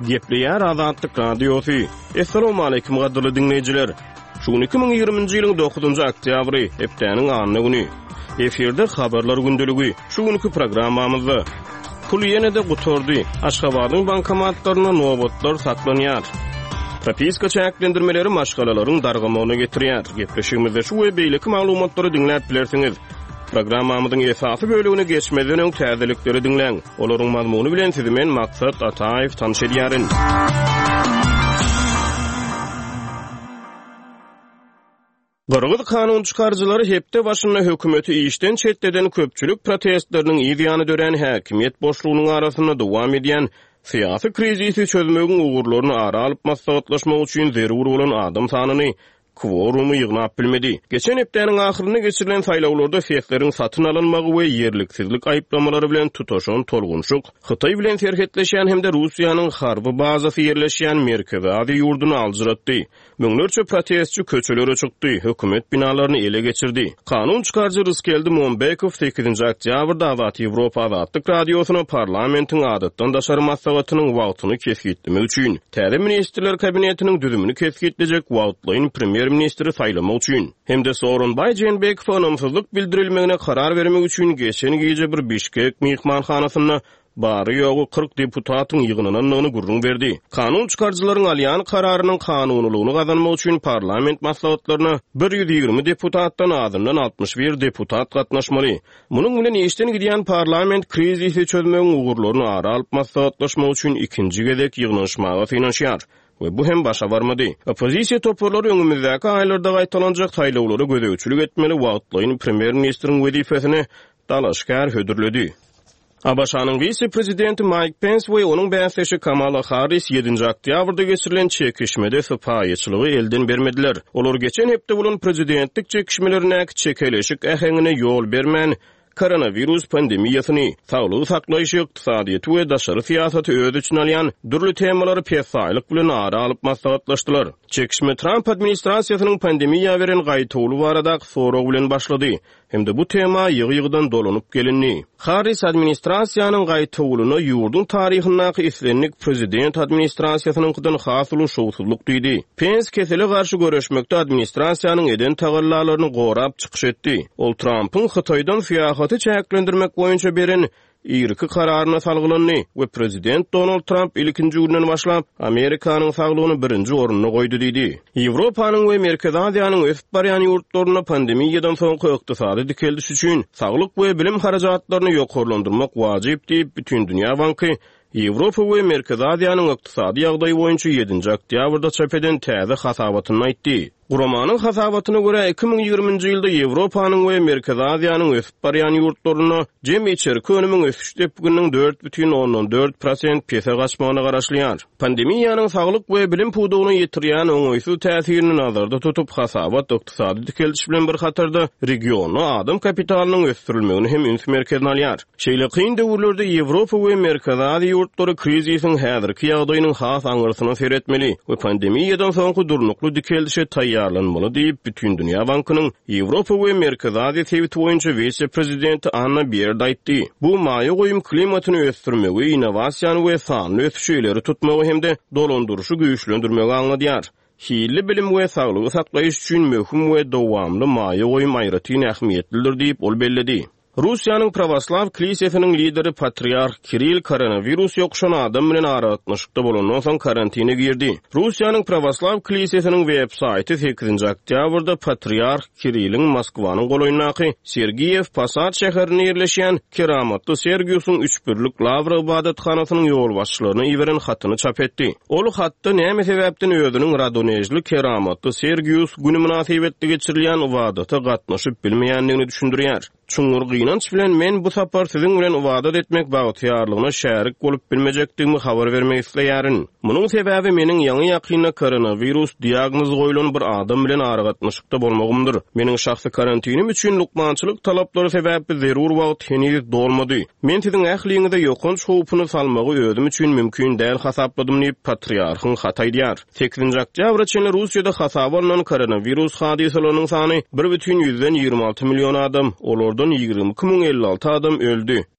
Gepleýär Azatlyk Radiosy. Assalamualaikum gadyrly diňleýjiler. Şu gün 2020-nji ýylyň 9-njy oktýabry, hepdäniň anna güni. Efirde habarlar gündeligi. Şu günki programmamyzda Pul ýene-de gutardy. Aşgabadyň bankomatlarynda nobatlar saklanýar. Propiska çäklendirmeleri maşgalalaryň dargamagyna getirýär. Gepleşigimizde şu we beýleki maglumatlary diňläp bilersiňiz. Programmamyzyň esasy bölegine geçmezden öň täzelikleri diňläň. Olaryň mazmuny bilen sizi men Maksat Ataýew tanyş edýärin. Gyrgyz kanun çykaryjylary hepde başynda hökümeti işden çetleden köpçülik protestleriniň yz ýany dörän häkimiýet boşlugynyň arasynda dowam edýän syýasy krizisi çözmegiň ugurlaryny ara alyp maslahatlaşmak üçin zerur bolan adam sanyny kworumy ýygnap bilmedi. Geçen hepdäniň ahyrynda geçirilen saýlawlarda sesleriň satyn alynmagy we ýerliksizlik aýyplamalary bilen tutaşan tolgunşyk Hytaý bilen serhetleşýän hem-de Russiýanyň harby bazasy ýerleşýän Merkezi Aziýa ýurduny aljyratdy. Müňlerçe protestçi köçelere çykdy, hökümet binalaryny ele geçirdi. Kanun çykaryjy Rysgeldi Mombekow sekizinji oktýabrda Azat Ýewropa Azatlyk Radiosyna parlamentiň adatdan daşary maslahatynyň wagtyny kesgitlemek üçin, täze Ministrler Kabinetiniň düzümini kesgitlejek wagtlaýyn premýer-ministri saýlamak üçin hem-de Sooronbaý Jeenbekowa ynamsyzlyk bildirilmegine karar bermek üçin geçen gije bir Bişkek myhmanhanasynda bary-ýogy 40 deputatyň ýygnanandygyny gürrüň berdi. Kanun çykaryjylaryň alýan kararynyň kanunylygyny gazanmak üçin parlament maslahatlaryna 120 deputatdan azyndan 61 deputat gatnaşmaly. Munuň bilen işden gidýän parlament krizisi çözmegiň ugurlaryny ara alyp maslahatlaşmak üçin ikinji gezek ýygnanyşmaga synanyşýar we bu hem başa barmady. Oppozisiýa toparlary öňümizdäki aýlarda gaýtalanjak saýlawlara gözegçilik etmeli wagtlaýyn premýer-ministriň wezipesine dalaşgär hödürledi. ABŞ-nyň wise-prezidenti Maýk Pens we onuň bäsdeşi Kamala Harris ýedinji oktýabrda geçirilen çekişmede sypaýyçylygy elden bermediler. Olar geçen hepde bolan prezidentlik çekişmelerindäki çekeleşik äheňine ýol bermän, koronawirus pandemiýasyny, saglygy saklaýşy, ykdysadyýeti we daşary syýasaty öz içine alýan dürli temalary pessaýlyk bilen ara alyp maslahatlaşdylar. Çekişme Tramp administrasiýasynyň pandemiýa beren gaýtawuly baradaky sorag bilen başlady. Hem-de bu tema ýygy-ýygydan dolanyp gelindi. Harris administrasiýanyň gaýtawulyna ýurduň taryhyndaky islendik prezident administrasiýasynyňkydan has uly şowsuzlyk diýdi. Pens kesele garşy göreşmekde administrasiýanyň eden tagallalaryny gorap çykyş etdi. Ol Trampyň Hytaýdan syýahaty çäklendirmek boýunça beren irki kararyna salgylandy we prezident Donald Tramp ilkinji günden başlap Amerikanyň saglygyny birinji orunda goýdy diýdi. Ýewropanyň we Merkezi Aziýanyň ösüp barýan ýurtlarynda pandemiýadan soňky ykdysady dikeldiş üçin saglyk we bilim harajatlaryny ýokarlandyrmak wajyp diýip, Bütindünýä banky Ýewropa we Merkezi Aziýanyň ykdysady ýagdaýy boýunça ýedinji oktýabrda çap eden täze hasabatynda aýtdy. Guramanyň hasabatyna görä, 2020-nji ýylda Ýewropanyň we Merkezi Aziýanyň ösüp barýan ýurtlarynda jemi içerki önümiň ösüş depgininiň 4,4 prosent pese gaçmagyna garaşylýar. Pandemiýanyň saglyk we bilim pudagyna ýetirýän oňaýsyz täsirini nazarda tutup, hasabat ykdysady dikeldiş bilen bir hatarda regionda adam kapitalynyň ösdürilmegini hem üns merkezine alýar. Şeýle kyn döwürlerde Ýewropa we Merkezi Aziýa ýurtlary krizisiň häzirki ýagdaýynyň has aňyrsyna seretmeli we pandemiýadan soňky durnukly dikeldişe taýýarlanmaly diýip, Bütindünýä bankynyň Ýewropa we Merkezi Aziýa sebiti boýunça wise-prezidenti Anna Bierd aýtdy. Bu maýa goýum klimatyny ösdürmegi, innowasiýany we sanly ösüşi ileri tutmagy hem-de dolandyryşy güýçlendirmegi aňladýar. Hilli bilim we saglygy saklaýyş üçin möhüm we dowamly maýa goýum aýratyn ähmiýetlidir diýip, ol belledi. Russiýanyň Prawoslaw Klisesiniň lideri Patriarh Kirill koronawirus ýokuşan adam bilen aragatnaşykda bolandan soň karantine girdi. Russiýanyň Prawoslaw Klisesiniň web saýty sekizinji oktýabrda Patriarh Kirilliň Moskwanyň golaýyndaky Sergiýew Posad şäherinde ýerleşýän Keramatly Sergiusyň Üçbirlik Lawra ybadathanasynyň ýolbaşçylaryna iberen hatyny çap etdi. Ol hatda näme sebäpden özüniň Radonežli Keramatly Sergius güni mynasybetli geçirilýän ybadata gatnaşyp bilmeýändigini düşündirýär. Çuňňur gynanç bilen men bu sapar siziň bilen ybadat etmek bagtyýarlygyna şärik bolup bilmejekdigimi habar bermek isleýärin. Munuň sebäbi meniň ýaňy-ýakynda koronawirus diagnozy goýlan bir adam bilen aragatnaşykda bolmagymdyr. Meniň şahsy karantinim üçin lukmançylyk talaplary sebäpli zerur wagt heniz dolmady. Men siziň ähliňize ýokanç howpuny salmagy özüm üçin mümkin däl hasapladym diýip, patriarhyň haty aýdýar. Sekizinji oktýabra çenli Russiýada hasaba alnan koronawirus hadysalarynyň sany 1,26 million adam, olardan 22 056 adam öldi.